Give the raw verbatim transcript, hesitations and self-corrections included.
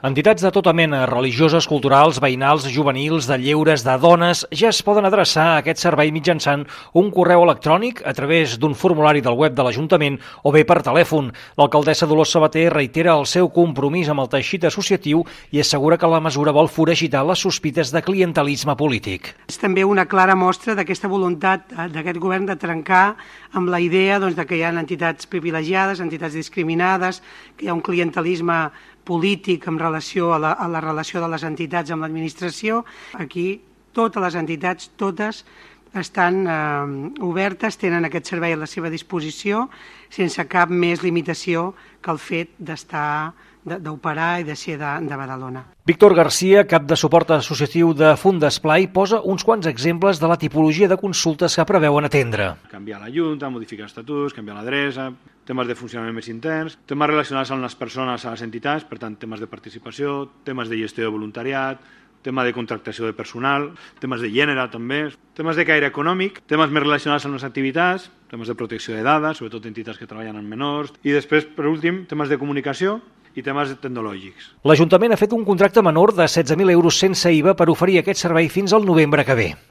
Entitats de tota mena, religioses, culturals, veïnals, juvenils, de lleures, de dones, ja es poden adreçar a aquest servei mitjançant un correu electrònic a través d'un formulari del web de l'Ajuntament o bé per telèfon. L'alcaldessa Dolors Sabater reitera el seu compromís amb el teixit associatiu i assegura que la mesura vol foragitar les sospites de clientelisme polític. És també una clara mostra d'aquesta voluntat d'aquest govern de trencar amb la idea doncs, de que hi ha entitats privilegiades, entitats discriminades, que hi ha un clientelisme polític en relació a la, a la relació de les entitats amb l'administració. Aquí totes les entitats, totes, estan eh, obertes, tenen aquest servei a la seva disposició sense cap més limitació que el fet d'estar d'operar i de ser de, de Badalona. Víctor Garcia, cap de suport associatiu de Fundesplai, posa uns quants exemples de la tipologia de consultes que preveuen atendre. Canviar la Junta, modificar estatuts, canviar l'adreça, temes de funcionament més interns, temes relacionats amb les persones, a les entitats, per tant, temes de participació, temes de gestió de voluntariat, tema de contractació de personal, temes de gènere també, temes de caire econòmic, temes més relacionats amb les activitats, temes de protecció de dades, sobretot entitats que treballen amb menors, i després, per últim, temes de comunicació i temes tecnològics. L'Ajuntament ha fet un contracte menor de setze mil euros sense I V A per oferir aquest servei fins al novembre que ve.